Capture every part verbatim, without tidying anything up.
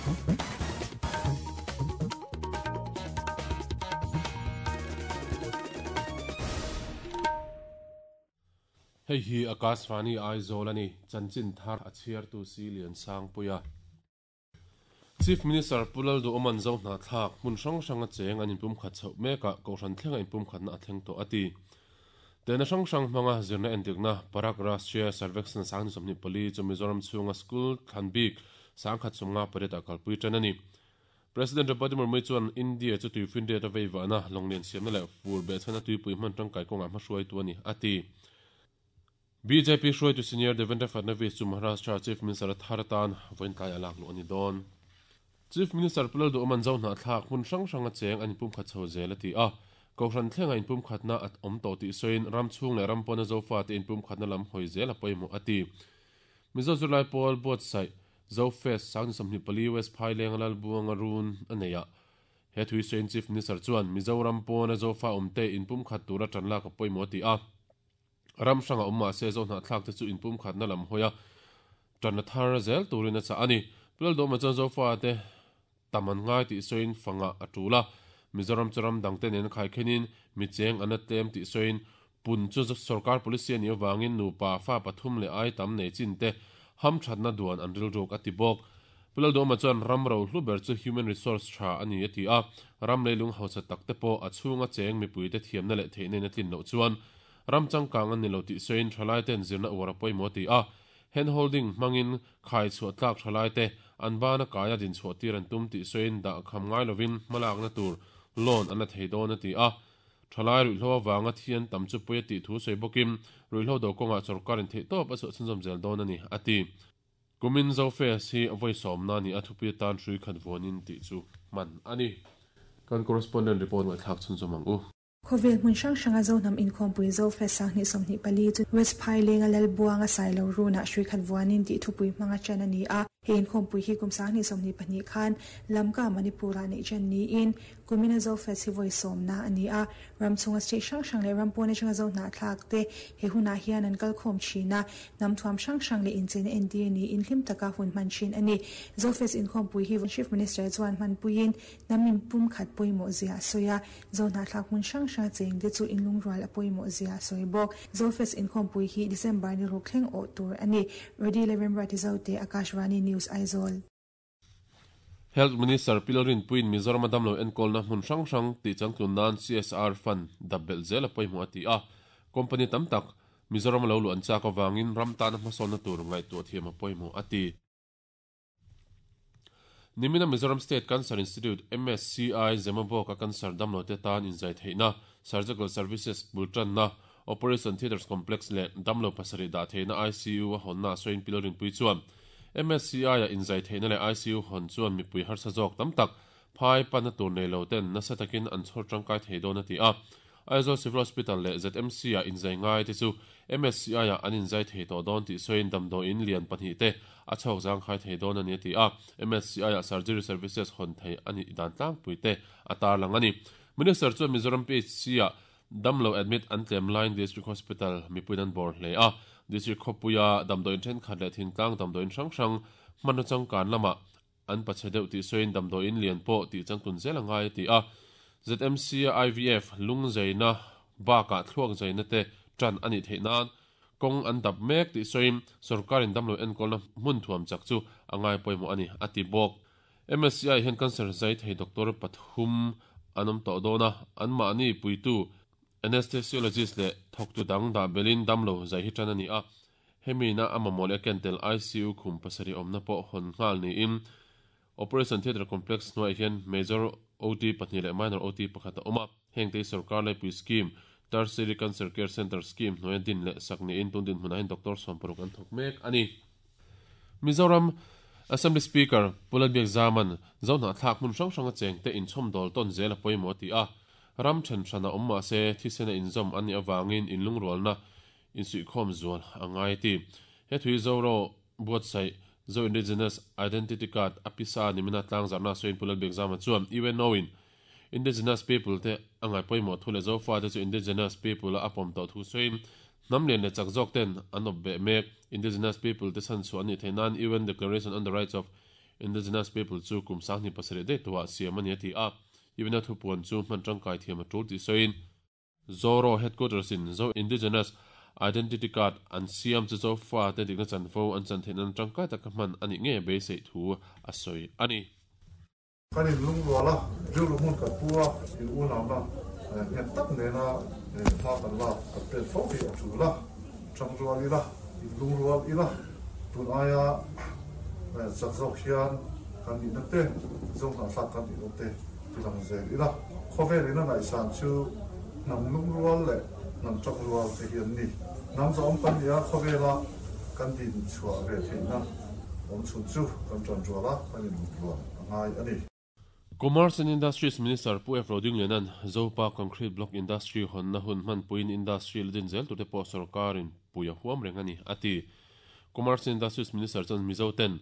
Hei hi Akashvani Aizawl ani chanchin thar a chhiar tu si lian sang puia Chief Minister Pulal du oman zo hna thlak hmun hrang hrang a cheng an inpum khat chho meka kohhran thlenga inpum khatna a thleng tawh ati tena hrang hrang hmanga zirna entikna Parak Rashtriya Sarvekshan sang ni sawmhnih pali chu Mizoram chhunga school thlanbik sangkhat chunga pariat a kalpui tan ani President Draupadi Murmu chuan India chu tuifin riat a veiva na longlian siamna leh fur be chhana tuipui hman tangkai kawnga hmahruai tu ani ati B J P hruai tu senior Devendra Fadnavis chu Maharashtra Chief Minister Tharatan voinkai alak lu ani don Chief Minister Pulal du oman zo hna thlak hmun hrang hrang a cheng an inpum khat chho zel ati a kohhran thlenga inpum khatna at awm tawh tih sawiin ram chhung leh ram pawna zofa te inpum khatna lam hawi zel a pawimawh ati Mizo Zulai Pawl buatsaih Zo Fest sang ni sawmhnih pali West Phaileng lal buanga run a nei a he thui sawiin Chief Minister chuan Mizoram pawna zofa awmte inpum khat tura tan lak a pawimawh ati a ram hranga awm mahse zo hna thlak te chu inpum khatna lam hawi a tan thar zel turin a cha ani Pulal du oman chuan zofa te taman ngai tih sawiin fanga a tula Mizoram charam dangte nen khai khenin mi cheng an atlem tih sawiin pun chu sarkar policy ani awangin nupa fa pathum le ai tam nei chin te ham thatna duan an ril ruk ati bawk Pulal du oman chuan ram ro hluber chu human resource tha ani ati a ram leilung hausa tak te pawh a chhunga cheng mipui te thiamna leh theihna in a tlin loh chuan ram changkang an ni lo tih sawiin thalai ten zirna uar a pawimawh ti a hand holding hmangin khai chhuah tlak thalai te an bana kaia din chhuah tir an tum tih sawiin dah kham ngai lovin hmalakna tur loan an la thei dawn a ti a thalai ruihhlo awanga thian tam chu pui a tih thu sawi bawkin ruihhlo do kawnga sawrkarin theih tawp a chhuah chhunzawm zel dawn ani ati kumin Zo Fest hi vawi sawmna ni a thupi tan hrui khat vuanin tih chu hman ani kan correspondent report ngaihthlak chhunzawm ang u Khovel hmun hrang hranga zo hnam inkhawmpui Zo Fest sang hnih sawmhnih pali chu West Phaileng a lal buanga sailo runa hrui khat vuanin tih thupui hmanga chan ani a he inkhawmpui hi kum sang hnih sawmhnih pahnih khan Lamka Manipura nei chan niin kumina Zo Fest hi vawi sawmna ani a ram chhunga state hrang hrang leh ram pawn atanga zo hna thlak te he hunah hian an kalkhawm thina hnam thuam hrang hrang leh incheina entir niin hlim taka hun hman thin ani Zo Fest inkhawmpui hi Chief Minister chuan hmanpuiin hnam inpum khat pawimawh zia a sawi a zo hna thlak hmun hrang hrang cheng te chu inlungrual a pawimawh zia a sawi bawk Zo Fest inkhawmpui hi December ni ruk thleng awh tur ani Rodi Levemra ti zo te Akashvani News Aizawl Health Minister Pilarin Puin Mizoram damlo enkolna hmun hrang hrang ti changtlun nan C S R fund dabbel zel a pawimawh ati a company tam tak Mizoram lo lu an chak awangin ram tan hmasawnna tur ngaihtuah thiam a pawimawh ati Nimina Mizoram State Cancer Institute M S C I Zemabawk a cancer damlo te tan inzai theihna Surgical Services bultanna Operation Theatres Complex leh damlo pasarih dah theihna I C U a hawnna sawiin Pilarin Pui chuan M S C I a inzai theihna leh I C U hawn chuan mipui harsa zawk tam tak phai pana tur nei lo ten nasa takin an chhawr tangkai thei dawn ati a Aizawl Civil Hospital leh Z M C a inzai ngai te chu M S C I a an inzai thei tawh dawn tih sawiin damdawiin lian pahnih te a chhawk zang khai thei dawn ani ati a M S C I a surgery services hawn thei ani dan tlangpui te a tarlang ani Minister chuan Mizoram P H C a damlo admit an tlem line District Hospital mipuin an bawr hle a District khawpuia damdawiin thenkhat leh thingtlang damdawiin hrang hrang hman changkan lama an pache deuh tih sawiin damdawiin lian pawh tih changtlun zel angai ati a Z M C I V F lungzaina baka thluak zaina te tan ani theihnan kawng an dap mek tih sawiin sawrkarin damlo enkolna hmun thuam chak chu angai pawimawh ani ati bawk M S C I hian cancer zai thei doctor pathum an awm tawh dawn a an mahni puitu anesthesiologist le thawktu dang dah belin damlo zai hi tan ani a hemina a mamawh leh kentel I C U khum pasarih awmna pawh hawn nghal niin Operation Theatre Complex hnuaiah hian Major O T pahnih leh Minor O T pakhat a awm a heng te sarkar laipui scheme Tertiary Cancer Care Center scheme hnuaia din leh sak niin tun din hmunah hian Doctor sawm paruk an thawk mek ani Mizoram Assembly Speaker Pulal Biak Zaman zo hna thlak hmun hrang hrang a cheng te inchhawm dawl tawn zel a pawimawh ati a ram then hrana awm mahse thisena inzawm ani awangin inlungrualna insuihkhawm zual angai ti he thui zoro buatsaih Zo Indigenous Identity Card apisa nimina tlang zarna sawiin Pulal Biak Zaman chuan U N O in Indigenous people te angai pawimawh thu leh zofa te chu Indigenous people a apawm tawh thu sawiin hnam lian leh chak zawk ten an awp beh mek Indigenous people te chan chu ani theihnan U N Declaration on the Rights of Indigenous people chu kum sang ni pasarih de tuwa siam ani ati a ibina thupuan chu hman tangkai thiam a tul ti soin Zoro headquarters in Zo Indigenous Identity Card an siam chu zo fa te dikna chanfo an chan thein an tangkai tak hman ani nge be sei thu a soi ani kanin lungwala julu mun ka pua in unama ngen tak ne na ma kan la ka pen fo hi achula changrual ila in lungrual ila tun aya chak zawk hian kan ni na te zong na thlak kan ni te tilang zel ila khovel ina nai san chu nam lungrual le nam changrual te hian ni nam zawm kan nia khovela kan din chua ve theina om chun chu kan chan ruala kan in lungrual angai ani. Commerce and Industries Minister Pu F. Roding Lenan Zopa Concrete Block Industry hon na hun man puin industry ledin zel tu te po sarkarin puya huam rengani ati Commerce and Industries Minister chan Mizo ten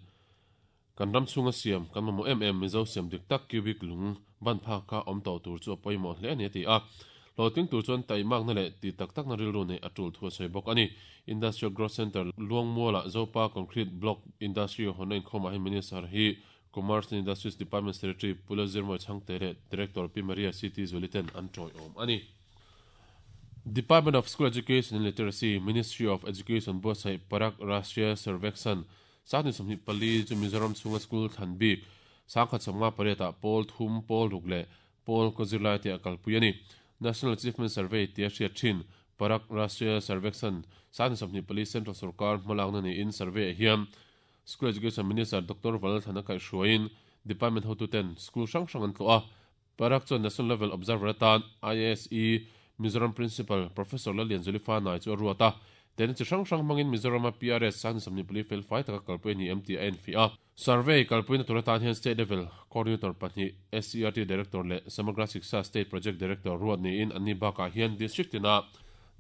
kan ram chunga siam kan mo em em Mizo siam dik tak cubic lung ban pha ka om to tur chu poimo hle ani ti a loting tur chuan tai mak na le ti tak tak na ril ru nei atul thu sei bok ani. Industrial Growth Center Luangmuala Zopa Concrete Block Industry hon na khoma hi Minister hi Commerce and Industries Department Secretary Pula Zirmo Changtere Director P Maria City Zuliten an troi om ani. Department of School Education and Literacy Ministry of Education Bosai Parak Rashtriya Survekshan sani somni pali chu Mizoram chunga school thanbi sakha chonga pareta pol thum pol rukle pol kozilai te akal puyani National Achievement Survey te hria thin Parak Rashtriya Survekshan sani somni pali Central Sarkar malangna ni in survey hiam School Education Minister Doctor Valal Kai Shuain Department Hotu ten School Sang Sang an tloa Parak chuan National Level Observer tan I S E Mizoram Principal Professor Lalian Zulifa nai chu ruata ten chi hrang hrang mangin Mizoram P R S san samni pali fel fai taka kalpui ni M T N fi a survey kalpui na turatan hian state level coordinator pahnih S C R T Director le Samagra Shiksha State Project Director ruat ni in anni baka hian district tina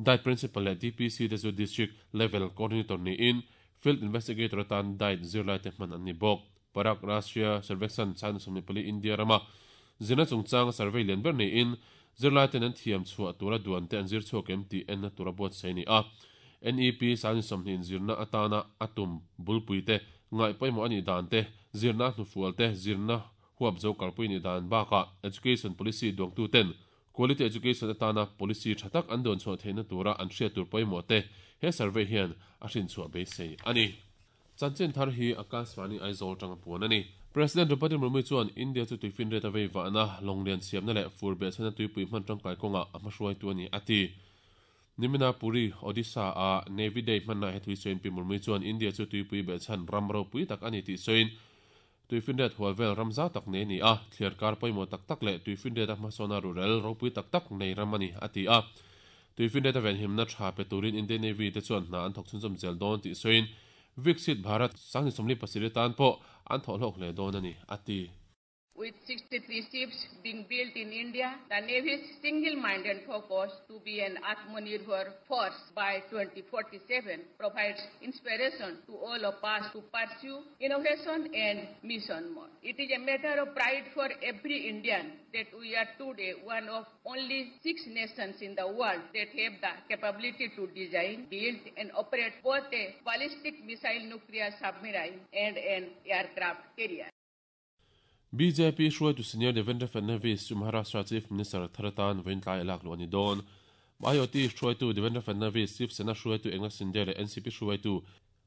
Diet Principal le D P C te chu district level coordinator ni in Field Investigator tan diet zirlai te hman anni bawk. Parak Rashtriya Survekshan chan somni pali India rama zina chungchang survey lian ber ni in zirlai ten an thiam chhuah tura duan te an zir chhuak em ti en na tura buat sei ni a N E P san somni zirna atana atum bulpui te ngai pawimawh ani dan te zirna hnufual te zirna huap zo kalpui ni dan baka education policy duangtu ten quality education atana policy thatak an don chhuah theihna tura an hriat tur pawimawh te he survey hian a hrin chhuah beisei ani. Chanchin thar hi Akashvani Aizawl tanga puan ani. President Draupadi Murmu chuan India chu tuifin reta vei vahna longlian siamna leh fur beh chhana tuipui hman tangkai kawnga a hmahruai tu ani ati. Nimina Puri Odisha a Navy Day hmanna he thui soin Pi Murmu chuan India chu tuipui beh chhan ram ropui tak ani ti soin tuifin ret hual vel ramza tak nei ni a thliar kar pawimawh tak tak leh tuifin ret a hmasawna rural ropui tak tak nei ram ani ati a tuifin ret a venhimna tha pe turin Indian Navy te chuan hna an thawk chhunzawm zel dawn ti soin Viksit Bharat sangni somli pasarih tan pawh an thawh hlawk hle dawn ani ati. With sixty-three ships being built in India, the Navy's single-minded focus to be an Atmanirbhar force by twenty forty-seven provides inspiration to all of us to pursue innovation and mission mode. It is a matter of pride for every Indian that we are today one of only six nations in the world that have the capability to design, build and operate both a ballistic missile nuclear submarine and an aircraft carrier. B J P hruai tu senior Devendra Fadnavis chu Maharashtra Chief Minister Tharatan Ventlai lak lu ani dawn. I O T hruai tu Devendra Fadnavis Chief Sena hruai tu Eknath Shinde leh N C P hruai tu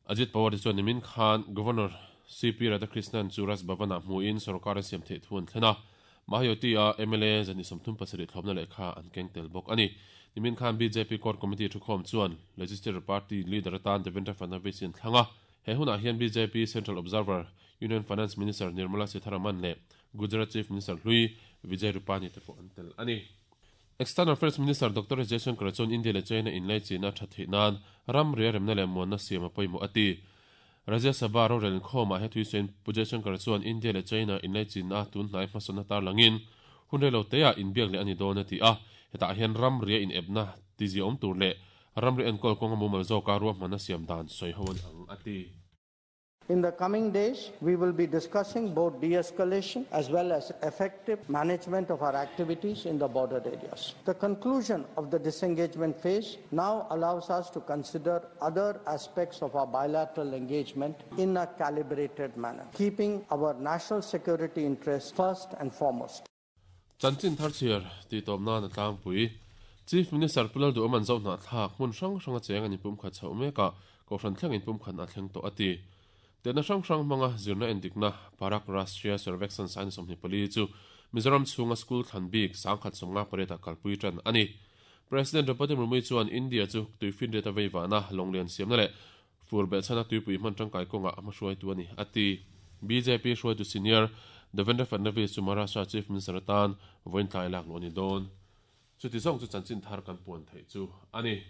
Ajit Pawar chuan nimin khan Governor C P Radhakrishnan chu Raj Bhavana hmuin sarkar siam theih thu an thlena. Mahayoti a M L A zani somthum pasarih thlawmna lehkha an keng tel bawk ani. Nimin khan B J P Core Committee thukhawm chuan Legislative Party leader atan Devendra Fadnavis in thlanga. He hunah hian B J P Central Observer Union Finance Minister Nirmala Sitharaman le Gujarat Chief Minister Hlui Vijay Rupani te pawh an tel ani. External Affairs Minister Doctor Jaishankar chuan India le China inlai china tha theih nan ram ria remna leh muanna siam a pawimawh ati. Rajya Sabha rorel khawmah he thui sawiin Pu Jaishankar chuan India le China inlai china tun hnai hmasawna tar langin hun rei lo te ah inbiak leh ani dawn ati a hetah hian ram ria in epna tizi awm tur leh ram ri enkawl kawnga mumal zawka ruahmanna siam dan sawi ho an ang ati. In the coming days, we will be discussing both de-escalation as well as effective management of our activities in the border areas. The conclusion of the disengagement phase now allows us to consider other aspects of our bilateral engagement in a calibrated manner, keeping our national security interests first and foremost. Chanchin thar chhiar ti tawp nan a tlangpui. Chief Minister Pu Lalduhoma'n Zohnahthlak hmun hrang hranga cheng an inpum khat chhoh mek a, Kohhran thleng inpum khat a thleng tawh a ti. Tehna hrang hrang hmanga zirna endikna Parak Rashtriya Survekshan Sain sawmhnih pali chu Mizoram chhunga school thlan bik sangkhat sawmnga pariatah kalpui tan a ni. President Draupadi Murmu chuan India chu tuifinriat a veivahna lawnglian siamna leh fur behchhana tuipui hman tangkai kawngah a hmahruaitu a ni a ti. B J P hruaitu senior Devendra Fadnavis chu Maharashtra Chief Minister atan vawiin tlai lak luh a ni dawn. Chuti zawng chu chanchin thar kan puan theih chu a ni.